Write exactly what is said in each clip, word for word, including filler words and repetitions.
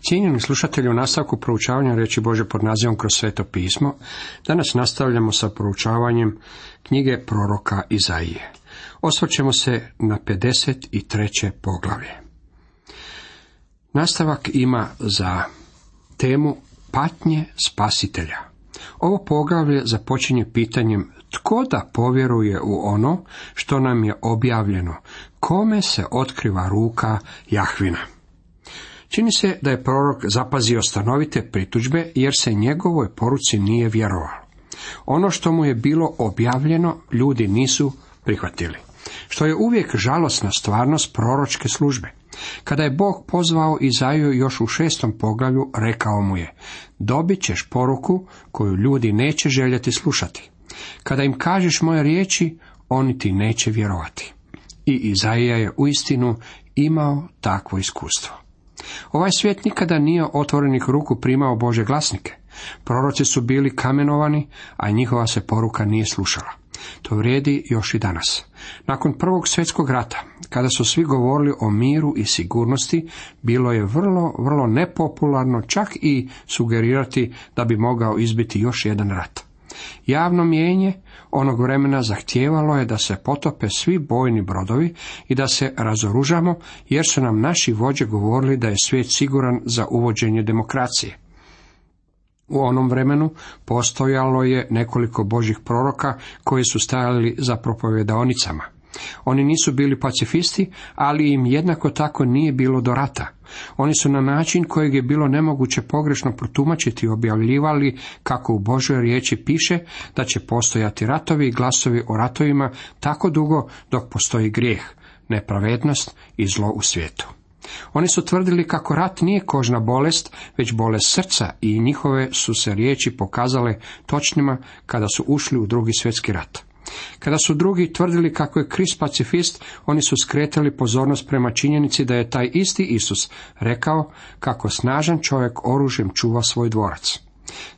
Cijenjeni slušatelji, u nastavku proučavanja riječi Božje pod nazivom Kroz Sveto pismo, danas nastavljamo sa proučavanjem knjige proroka Izaije. Osvrćemo se na pedeset treće poglavlje. Nastavak ima za temu patnje spasitelja. Ovo poglavlje započinje pitanjem tko da povjeruje u ono što nam je objavljeno, kome se otkriva ruka Jahvina. Čini se da je prorok zapazio stanovite pritužbe jer se njegovoj poruci nije vjerovalo. Ono što mu je bilo objavljeno ljudi nisu prihvatili, što je uvijek žalosna stvarnost proročke službe. Kada je Bog pozvao Izaiju još u šestom poglavlju, rekao mu je: dobit ćeš poruku koju ljudi neće željeti slušati. Kada im kažeš moje riječi, oni ti neće vjerovati. I Izaija je uistinu imao takvo iskustvo. Ovaj svijet nikada nije otvorenih ruku primao Božje glasnike. Proroci su bili kamenovani, a njihova se poruka nije slušala. To vrijedi još i danas. Nakon Prvog svjetskog rata, kada su svi govorili o miru i sigurnosti, bilo je vrlo, vrlo nepopularno čak i sugerirati da bi mogao izbiti još jedan rat. Javno mijenje onog vremena zahtijevalo je da se potope svi bojni brodovi i da se razoružamo, jer su nam naši vođe govorili da je svijet siguran za uvođenje demokracije. U onom vremenu postojalo je nekoliko Božjih proroka koji su stajali za propovedaonicama. Oni nisu bili pacifisti, ali im jednako tako nije bilo do rata. Oni su na način kojeg je bilo nemoguće pogrešno protumačiti objavljivali kako u Božoj riječi piše da će postojati ratovi i glasovi o ratovima tako dugo dok postoji grijeh, nepravednost i zlo u svijetu. Oni su tvrdili kako rat nije kožna bolest, već bolest srca, i njihove su se riječi pokazale točnima kada su ušli u drugi svjetski rat. Kada su drugi tvrdili kako je Krist pacifist, oni su skretali pozornost prema činjenici da je taj isti Isus rekao kako snažan čovjek oružjem čuva svoj dvorac.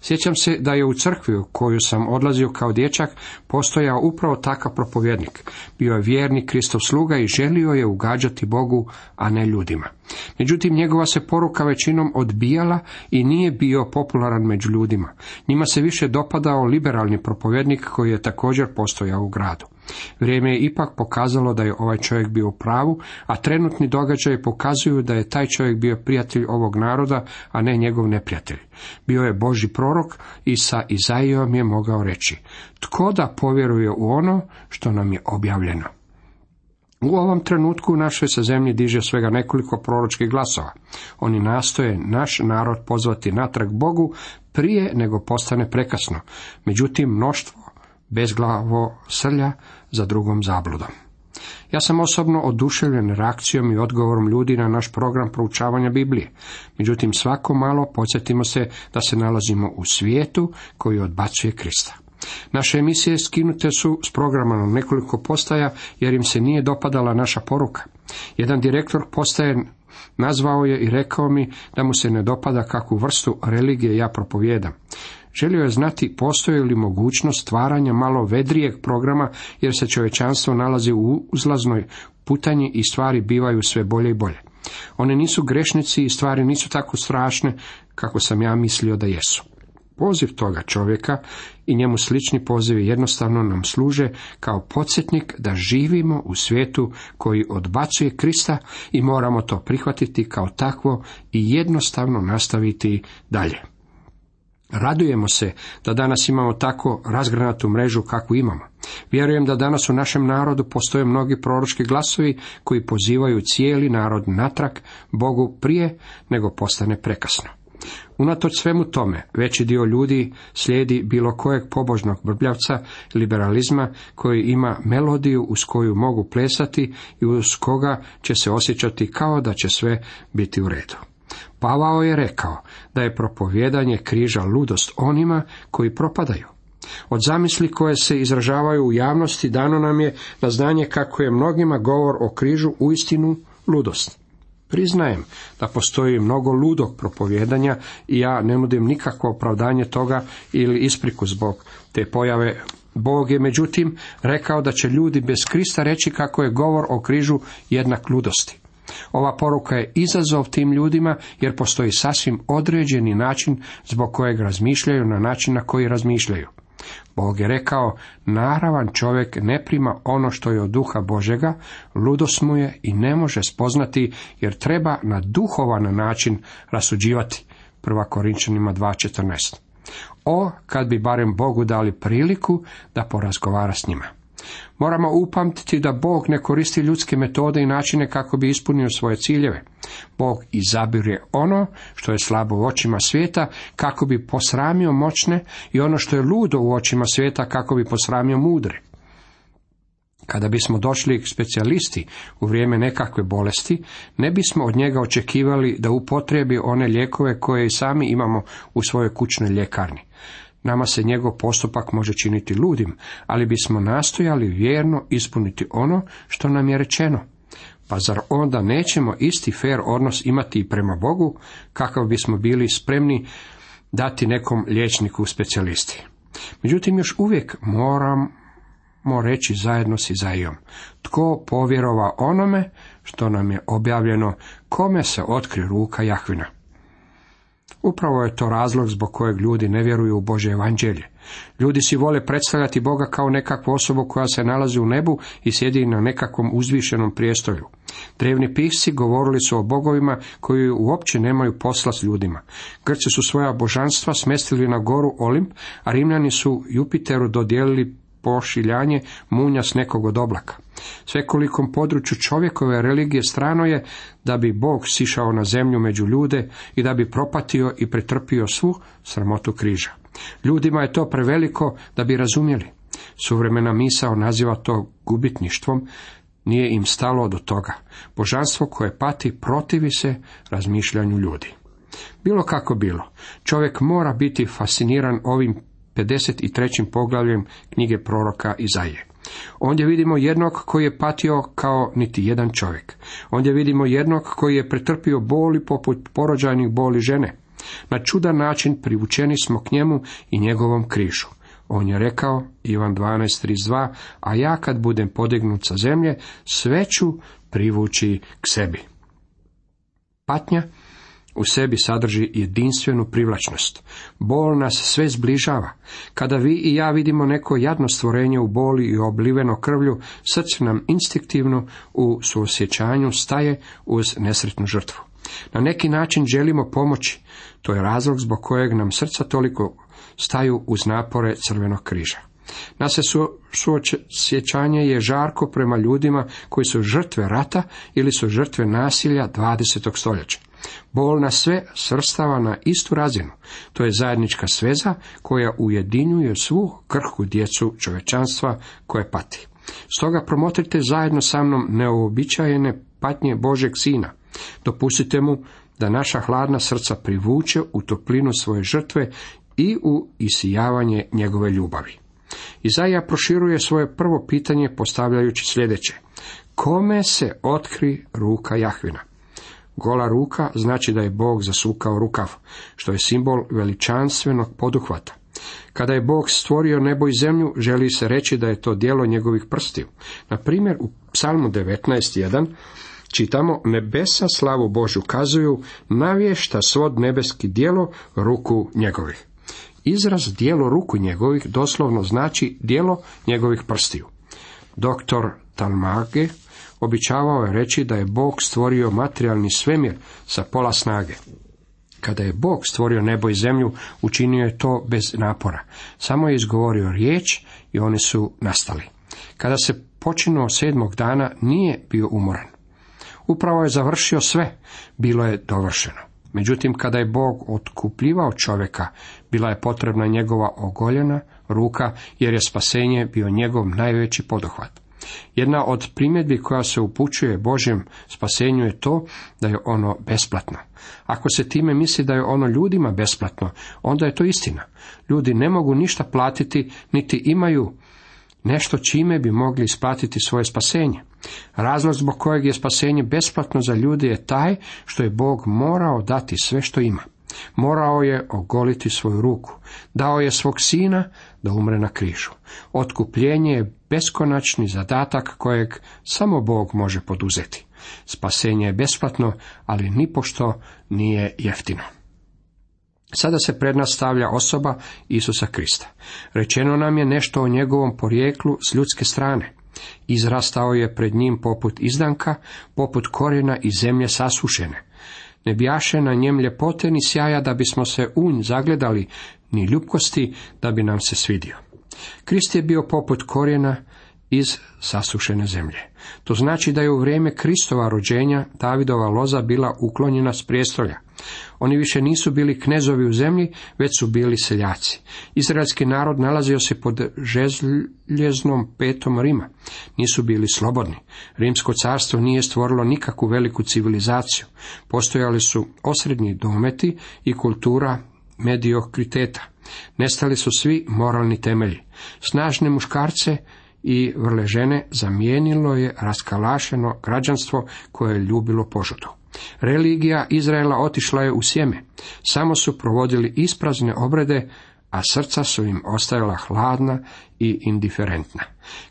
Sjećam se da je u crkvi u koju sam odlazio kao dječak postojao upravo takav propovjednik. Bio je vjerni Kristov sluga i želio je ugađati Bogu, a ne ljudima. Međutim, njegova se poruka većinom odbijala i nije bio popularan među ljudima. Njima se više dopadao liberalni propovjednik koji je također postojao u gradu. Vrijeme je ipak pokazalo da je ovaj čovjek bio u pravu, a trenutni događaji pokazuju da je taj čovjek bio prijatelj ovog naroda, a ne njegov neprijatelj. Bio je Božji prorok i sa Izaijom je mogao reći: tko da povjeruje u ono što nam je objavljeno. U ovom trenutku u našoj se zemlji diže svega nekoliko proročkih glasova. Oni nastoje naš narod pozvati natrag Bogu prije nego postane prekasno. Međutim, mnoštvo bezglavo srlja za drugom zabludom. Ja sam osobno oduševljen reakcijom i odgovorom ljudi na naš program proučavanja Biblije. Međutim, svako malo podsjetimo se da se nalazimo u svijetu koji odbacuje Krista. Naše emisije skinute su s programa na nekoliko postaja jer im se nije dopadala naša poruka. Jedan direktor postaje nazvao je i rekao mi da mu se ne dopada kakvu vrstu religije ja propovijedam. Želio je znati postoji li mogućnost stvaranja malo vedrijeg programa, jer se čovječanstvo nalazi u uzlaznoj putanji i stvari bivaju sve bolje i bolje. One nisu grešnici i stvari nisu tako strašne kako sam ja mislio da jesu. Poziv toga čovjeka i njemu slični pozivi jednostavno nam služe kao podsjetnik da živimo u svijetu koji odbacuje Krista i moramo to prihvatiti kao takvo i jednostavno nastaviti dalje. Radujemo se da danas imamo tako razgranatu mrežu kakvu imamo. Vjerujem da danas u našem narodu postoje mnogi proročki glasovi koji pozivaju cijeli narod natrag Bogu prije nego postane prekasno. Unatoč svemu tome, veći dio ljudi slijedi bilo kojeg pobožnog brbljavca liberalizma koji ima melodiju uz koju mogu plesati i uz koga će se osjećati kao da će sve biti u redu. Pavao je rekao da je propovijedanje križa ludost onima koji propadaju. Od zamisli koje se izražavaju u javnosti dano nam je na znanje kako je mnogima govor o križu uistinu ludost. Priznajem da postoji mnogo ludog propovijedanja i ja ne nudim nikakvo opravdanje toga ili ispriku zbog te pojave. Bog je međutim rekao da će ljudi bez Krista reći kako je govor o križu jednak ludosti. Ova poruka je izazov tim ljudima, jer postoji sasvim određeni način zbog kojeg razmišljaju na način na koji razmišljaju. Bog je rekao, naravan čovjek ne prima ono što je od duha Božega, ludost mu je i ne može spoznati, jer treba na duhovan način rasuđivati. Prva Korinčanima dva četrnaest. O, kad bi barem Bogu dali priliku da porazgovara s njima. Moramo upamtiti da Bog ne koristi ljudske metode i načine kako bi ispunio svoje ciljeve. Bog izabire ono što je slabo u očima svijeta kako bi posramio moćne i ono što je ludo u očima svijeta kako bi posramio mudre. Kada bismo došli k specijalisti u vrijeme nekakve bolesti, ne bismo od njega očekivali da upotrebi one lijekove koje i sami imamo u svojoj kućnoj ljekarni. Nama se njegov postupak može činiti ludim, ali bismo nastojali vjerno ispuniti ono što nam je rečeno. Pa zar onda nećemo isti fer odnos imati i prema Bogu, kakav bismo bili spremni dati nekom liječniku specijalisti? Međutim, još uvijek moramo reći zajedno s Izaijom: tko povjerova onome što nam je objavljeno, kome se otkri ruka Jahvina? Upravo je to razlog zbog kojeg ljudi ne vjeruju u Božje evanđelje. Ljudi si vole predstavljati Boga kao nekakvu osobu koja se nalazi u nebu i sjedi na nekakvom uzvišenom prijestolju. Drevni pisci govorili su o bogovima koji uopće nemaju posla s ljudima. Grci su svoja božanstva smestili na goru Olimp, a Rimljani su Jupiteru dodijelili pošiljanje munja s nekog od oblaka. Svekolikom području čovjekove religije strano je da bi Bog sišao na zemlju među ljude i da bi propatio i pretrpio svu sramotu križa. Ljudima je to preveliko da bi razumjeli. Suvremena misao naziva to gubitništvom, nije im stalo do toga. Božanstvo koje pati protivi se razmišljanju ljudi. Bilo kako bilo, čovjek mora biti fasciniran ovim pedeset trećim poglavljem knjige proroka Izaije. Ondje vidimo jednog koji je patio kao niti jedan čovjek. Ondje vidimo jednog koji je pretrpio boli poput porođajnih boli žene. Na čudan način privučeni smo k njemu i njegovom križu. On je rekao, Ivan dvanaest trideset dva, a ja kad budem podignut sa zemlje, sve ću privući k sebi. Patnja u sebi sadrži jedinstvenu privlačnost. Bol nas sve zbližava. Kada vi i ja vidimo neko jadno stvorenje u boli i obliveno krvlju, srce nam instinktivno u suosjećanju staje uz nesretnu žrtvu. Na neki način želimo pomoći. To je razlog zbog kojeg nam srca toliko staju uz napore Crvenog križa. Naše suosjećanje je žarko prema ljudima koji su žrtve rata ili su žrtve nasilja dvadesetog stoljeća. Bol nas sve svrstava na istu razinu. To je zajednička sveza koja ujedinjuje svu krhku djecu čovječanstva koje pati. Stoga promotrite zajedno sa mnom neuobičajene patnje Božeg Sina. Dopustite mu da naša hladna srca privuče u toplinu svoje žrtve i u isijavanje njegove ljubavi. Izaija proširuje svoje prvo pitanje postavljajući sljedeće: kome se otkri ruka Jahvina? Gola ruka znači da je Bog zasukao rukav, što je simbol veličanstvenog poduhvata. Kada je Bog stvorio nebo i zemlju, želi se reći da je to djelo njegovih prstiju. Na primjer, u Psalmu devetnaest jedan čitamo: nebesa slavu Božju kazuju, navješta svod nebeski djelo ruku njegovih. Izraz djelo ruku njegovih doslovno znači djelo njegovih prstiju. Doktor Talmage običavao je reći da je Bog stvorio materijalni svemir sa pola snage. Kada je Bog stvorio nebo i zemlju, učinio je to bez napora. Samo je izgovorio riječ i oni su nastali. Kada se počinuo sedmog dana, nije bio umoran. Upravo je završio sve, bilo je dovršeno. Međutim, kada je Bog otkupljivao čovjeka, bila je potrebna njegova ogoljena ruka, jer je spasenje bio njegov najveći poduhvat. Jedna od primjedbi koja se upućuje Božjem spasenju je to da je ono besplatno. Ako se time misli da je ono ljudima besplatno, onda je to istina. Ljudi ne mogu ništa platiti, niti imaju nešto čime bi mogli isplatiti svoje spasenje. Razlog zbog kojeg je spasenje besplatno za ljude je taj što je Bog morao dati sve što ima. Morao je ogoliti svoju ruku. Dao je svog sina da umre na križu. Otkupljenje je beskonačni zadatak kojeg samo Bog može poduzeti. Spasenje je besplatno, ali nipošto nije jeftino. Sada se pred nas stavlja osoba Isusa Krista. Rečeno nam je nešto o njegovom porijeklu s ljudske strane. Izrastao je pred njim poput izdanka, poput korijena iz zemlje sasušene. Ne bjaše na njem ljepote ni sjaja da bismo se u nj zagledali, ni ljubkosti da bi nam se svidio. Krist je bio poput korijena iz sasušene zemlje. To znači da je u vrijeme Kristova rođenja Davidova loza bila uklonjena s prijestolja. Oni više nisu bili knezovi u zemlji, već su bili seljaci. Izraelski narod nalazio se pod željeznom petom Rima. Nisu bili slobodni. Rimsko carstvo nije stvorilo nikakvu veliku civilizaciju. Postojali su osrednji dometi i kultura mediokriteta. Nestali su svi moralni temelji. Snažne muškarce i vrle žene zamijenilo je raskalašeno građanstvo koje je ljubilo požudu. Religija Izraela otišla je u sjeme. Samo su provodili isprazne obrede, a srca su im ostajala hladna i indiferentna.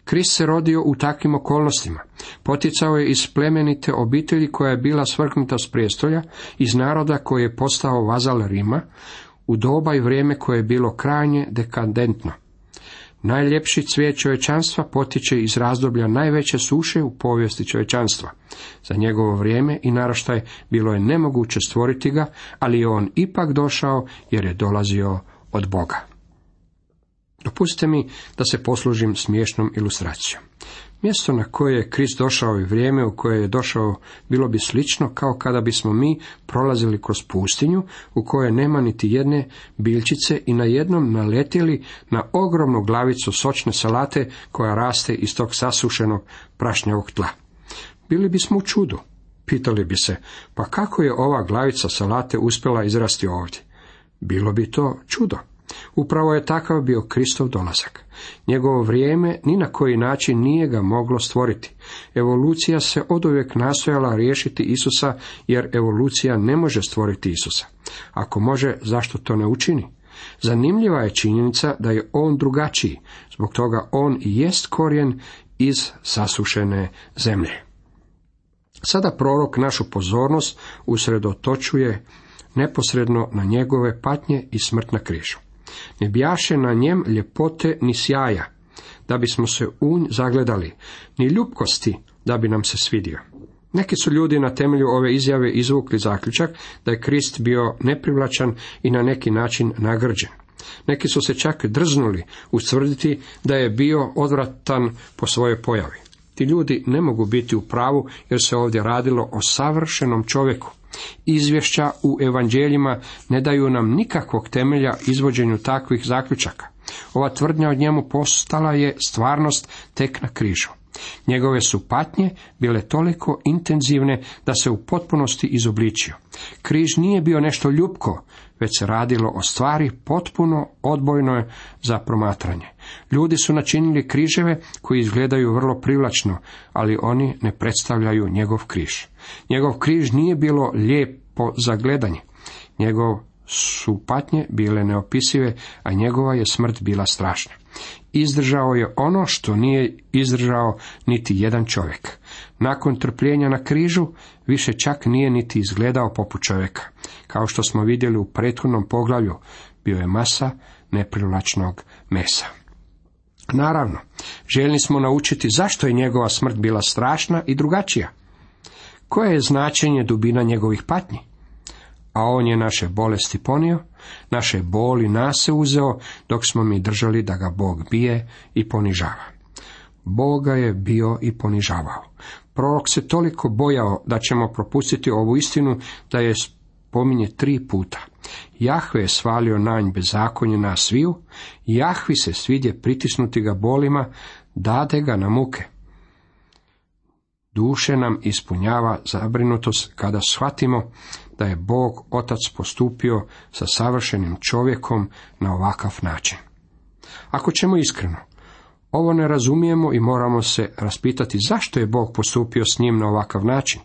Krist se rodio u takvim okolnostima. Poticao je iz plemenite obitelji koja je bila svrgnuta s prijestolja, iz naroda koji je postao vazal Rima, u doba i vrijeme koje je bilo krajnje dekadentno. Najljepši cvijet čovječanstva potječe iz razdoblja najveće suše u povijesti čovječanstva. Za njegovo vrijeme i naraštaj bilo je nemoguće stvoriti ga, ali je on ipak došao jer je dolazio od Boga. Dopustite mi da se poslužim smiješnom ilustracijom. Mjesto na koje je Krist došao i vrijeme u koje je došao bilo bi slično kao kada bismo mi prolazili kroz pustinju u kojoj nema niti jedne biljčice i najednom naletjeli na ogromnu glavicu sočne salate koja raste iz tog sasušenog prašnjavog tla. Bili bismo u čudu. Pitali bi se, pa kako je ova glavica salate uspjela izrasti ovdje? Bilo bi to čudo. Upravo je takav bio Kristov dolazak. Njegovo vrijeme ni na koji način nije ga moglo stvoriti. Evolucija se oduvijek nastojala riješiti Isusa, jer evolucija ne može stvoriti Isusa. Ako može, zašto to ne učini? Zanimljiva je činjenica da je on drugačiji, zbog toga on i jest korijen iz sasušene zemlje. Sada prorok našu pozornost usredotočuje neposredno na njegove patnje i smrt na križu. Ne bjaše na njem ljepote ni sjaja, da bismo se u nj zagledali, ni ljubkosti, da bi nam se svidio. Neki su ljudi na temelju ove izjave izvukli zaključak da je Krist bio neprivlačan i na neki način nagrđen. Neki su se čak drznuli ustvrditi da je bio odvratan po svojoj pojavi. Ti ljudi ne mogu biti u pravu jer se ovdje radilo o savršenom čovjeku. Izvješća u evanđeljima ne daju nam nikakvog temelja izvođenju takvih zaključaka. Ova tvrdnja od njemu postala je stvarnost tek na križu. Njegove su patnje bile toliko intenzivne da se u potpunosti izobličio. Križ nije bio nešto ljupko, već se radilo o stvari potpuno odbojno za promatranje. Ljudi su načinili križeve koji izgledaju vrlo privlačno, ali oni ne predstavljaju njegov križ. Njegov križ nije bilo lijepo za gledanje. Njegov su patnje bile neopisive, a njegova je smrt bila strašna. Izdržao je ono što nije izdržao niti jedan čovjek. Nakon trpljenja na križu više čak nije niti izgledao poput čovjeka. Kao što smo vidjeli u prethodnom poglavlju, bio je masa neprivlačnog mesa. Naravno, željni smo naučiti zašto je njegova smrt bila strašna i drugačija. Koje je značenje dubina njegovih patnji? A on je naše bolesti ponio, naše boli nase uzeo, dok smo mi držali da ga Bog bije i ponižava. Boga je bio i ponižavao. Prorok se toliko bojao da ćemo propustiti ovu istinu da je spominje tri puta. Jahve je svalio na nj bezakonje nas sviju, Jahvi se svidje pritisnuti ga bolima, dade ga na muke. Duše nam ispunjava zabrinutost kada shvatimo da je Bog Otac postupio sa savršenim čovjekom na ovakav način. Ako ćemo iskreno, ovo ne razumijemo i moramo se raspitati zašto je Bog postupio s njim na ovakav način.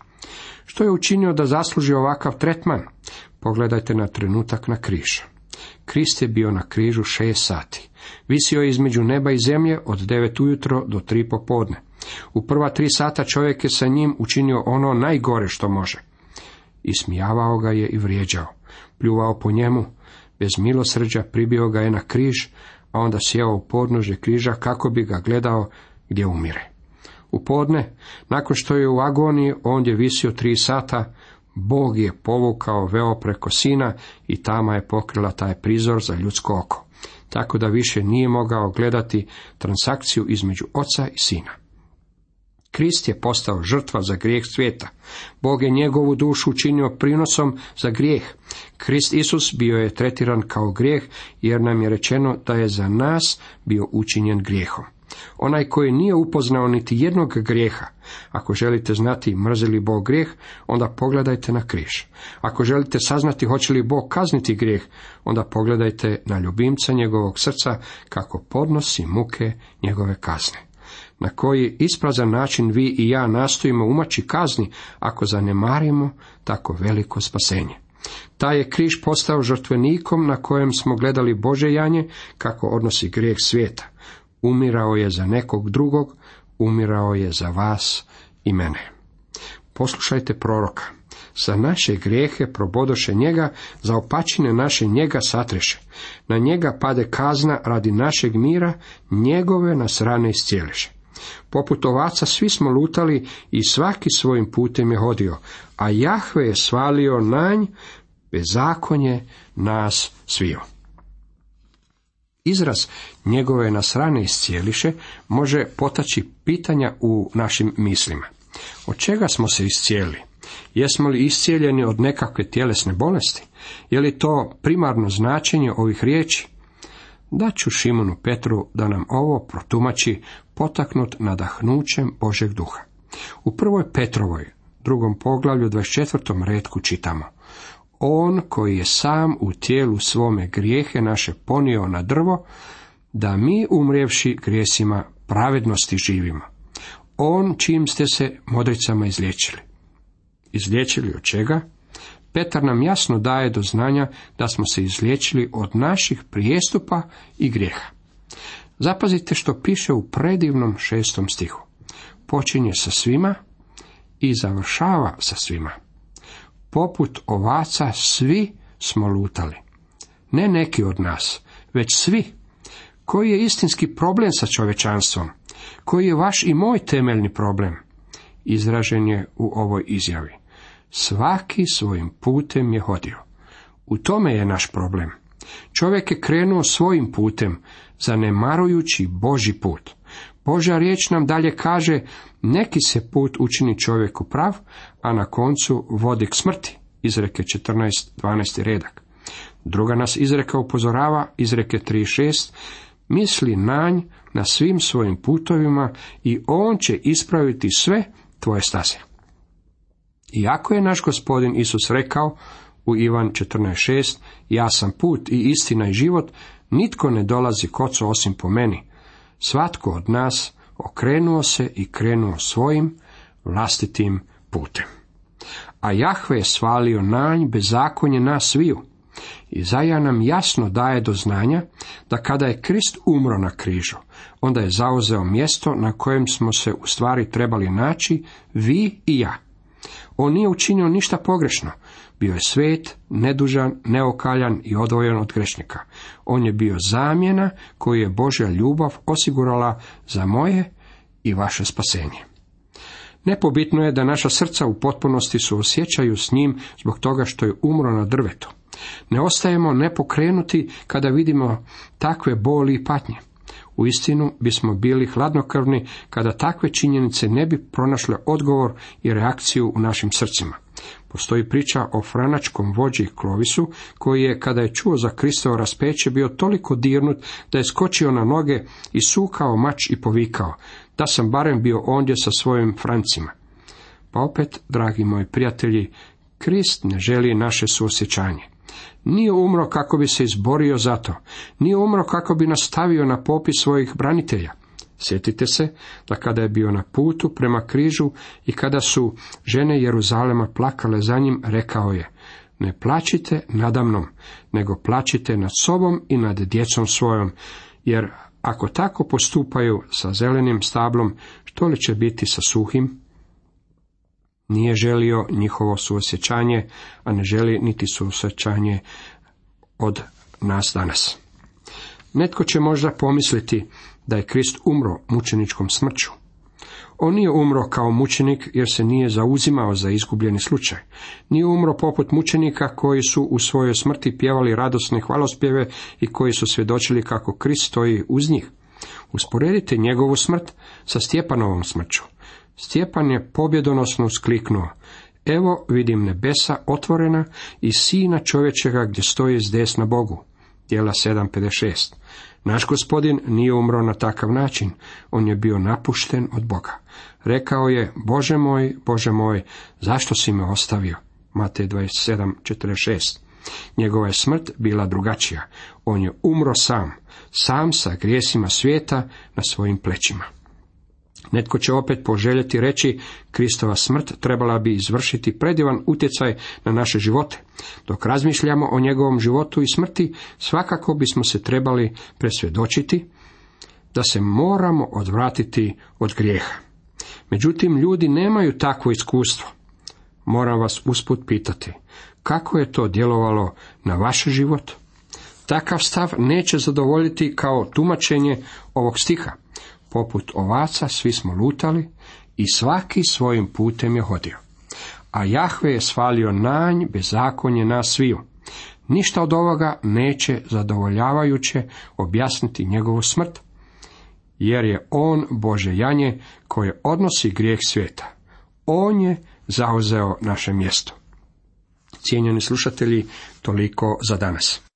Što je učinio da zasluži ovakav tretman? Pogledajte na trenutak na križ. Krist je bio na križu šest sati. Visio je između neba i zemlje od devet ujutro do tri popodne. U prva tri sata čovjek je sa njim učinio ono najgore što može. Ismijavao ga je i vrijeđao, pljuvao po njemu, bez milosrđa pribio ga je na križ, a onda sjeo u podnožje križa kako bi ga gledao gdje umire. U podne, nakon što je u agoniji ondje visio tri sata, Bog je povukao veo preko sina i tama je pokrila taj prizor za ljudsko oko, tako da više nije mogao gledati transakciju između oca i sina. Krist je postao žrtva za grijeh svijeta. Bog je njegovu dušu učinio prinosom za grijeh. Krist Isus bio je tretiran kao grijeh, jer nam je rečeno da je za nas bio učinjen grijehom. Onaj koji nije upoznao niti jednog grijeha, ako želite znati mrzi li Bog grijeh, onda pogledajte na križ. Ako želite saznati hoće li Bog kazniti grijeh, onda pogledajte na ljubimca njegovog srca kako podnosi muke njegove kazne. Na koji isprazan način vi i ja nastojimo umaći kazni ako zanemarimo tako veliko spasenje. Taj je križ postao žrtvenikom na kojem smo gledali Božje janje kako odnosi grijeh svijeta. Umirao je za nekog drugog, umirao je za vas i mene. Poslušajte proroka. Za naše grijehe probodoše njega, za opačine naše njega satreše. Na njega pade kazna radi našeg mira, njegove nas rane iscijeliše. Poput ovaca svi smo lutali i svaki svojim putem je hodio, a Jahve je svalio na nj bezakonje nas sviju. Izraz njegove nas rane iscijeliše može potaći pitanja u našim mislima. Od čega smo se iscijelili? Jesmo li iscijeljeni od nekakve tjelesne bolesti? Je li to primarno značenje ovih riječi? Daću Šimonu Petru da nam ovo protumači potaknut nadahnućem Božeg duha. U prvoj Petrovoj, drugom poglavlju, dvadeset četvrtom retku čitamo: On koji je sam u tijelu svome grijehe naše ponio na drvo, da mi umrijevši grijesima pravednosti živimo. On čim ste se modricama izliječili. Izliječili od čega? Petar nam jasno daje do znanja da smo se izliječili od naših prijestupa i grijeha. Zapazite što piše u predivnom šestom stihu. Počinje sa svima i završava sa svima. Poput ovaca svi smo lutali. Ne neki od nas, već svi. Koji je istinski problem sa čovječanstvom? Koji je vaš i moj temeljni problem? Izražen je u ovoj izjavi. Svaki svojim putem je hodio. U tome je naš problem. Čovjek je krenuo svojim putem, zanemarujući Božji put. Božja riječ nam dalje kaže, neki se put učini čovjeku prav, a na koncu vodi k smrti. Izreke četrnaest dvanaesti redak. Druga nas izreka upozorava, izreke tri šest, misli na nj na svim svojim putovima i on će ispraviti sve tvoje staze. Iako je naš Gospodin Isus rekao u Ivan četrnaest šest, ja sam put i istina i život, nitko ne dolazi k Ocu osim po meni. Svatko od nas okrenuo se i krenuo svojim vlastitim putem. A Jahve je svalio na nj bezakonje nas sviju. Izaja nam jasno daje do znanja da kada je Krist umro na križu, onda je zauzeo mjesto na kojem smo se u stvari trebali naći vi i ja. On nije učinio ništa pogrešno. Bio je svet, nedužan, neokaljan i odvojen od grešnika. On je bio zamjena koju je Božja ljubav osigurala za moje i vaše spasenje. Nepobitno je da naša srca u potpunosti suosjećaju s njim zbog toga što je umro na drvetu. Ne ostajemo nepokrenuti kada vidimo takve boli i patnje. Uistinu bismo bili hladnokrvni kada takve činjenice ne bi pronašle odgovor i reakciju u našim srcima. Postoji priča o franačkom vođi Klovisu, koji je, kada je čuo za Kristovo raspeće, bio toliko dirnut da je skočio na noge i sukao mač i povikao, da sam barem bio ondje sa svojim Francima. Pa opet, dragi moji prijatelji, Krist ne želi naše suosjećanje. Nije umro kako bi se izborio za to. Nije umro kako bi nas stavio na popis svojih branitelja. Sjetite se da kada je bio na putu prema križu i kada su žene Jeruzalema plakale za njim, rekao je, ne plačite nadamnom, nego plačite nad sobom i nad djecom svojom, jer Ako tako postupaju sa zelenim stablom, što li će biti sa suhim? Nije želio njihovo suosjećanje, a ne želi niti suosjećanje od nas danas. Netko će možda pomisliti da je Krist umro mučeničkom smrću. On nije umro kao mučenik jer se nije zauzimao za izgubljeni slučaj. Nije umro poput mučenika koji su u svojoj smrti pjevali radosne hvalospjeve i koji su svjedočili kako Krist stoji uz njih. Usporedite njegovu smrt sa Stjepanovom smrću. Stjepan je pobjedonosno uskliknuo: evo vidim nebesa otvorena i sina čovječega gdje stoji s desna Bogu. Djela sedam pedeset šest. Naš Gospodin nije umro na takav način, on je bio napušten od Boga. Rekao je: Bože moj, Bože moj, zašto si me ostavio? Matej dvadeset sedam četrdeset šest. Njegova je smrt bila drugačija. On je umro sam, sam sa grijesima svijeta na svojim plećima. Netko će opet poželjeti reći: Kristova smrt trebala bi izvršiti predivan utjecaj na naše živote. Dok razmišljamo o njegovom životu i smrti, svakako bismo se trebali presvjedočiti da se moramo odvratiti od grijeha. Međutim, ljudi nemaju takvo iskustvo. Moram vas usput pitati, kako je to djelovalo na vaš život? Takav stav neće zadovoljiti kao tumačenje ovog stiha. Poput ovaca svi smo lutali i svaki svojim putem je hodio. A Jahve je svalio nanj bezakonje nas sviju. Ništa od ovoga neće zadovoljavajuće objasniti njegovu smrt, jer je on Bože janje koje odnosi grijeh svijeta. On je zauzeo naše mjesto. Cijenjeni slušatelji, toliko za danas.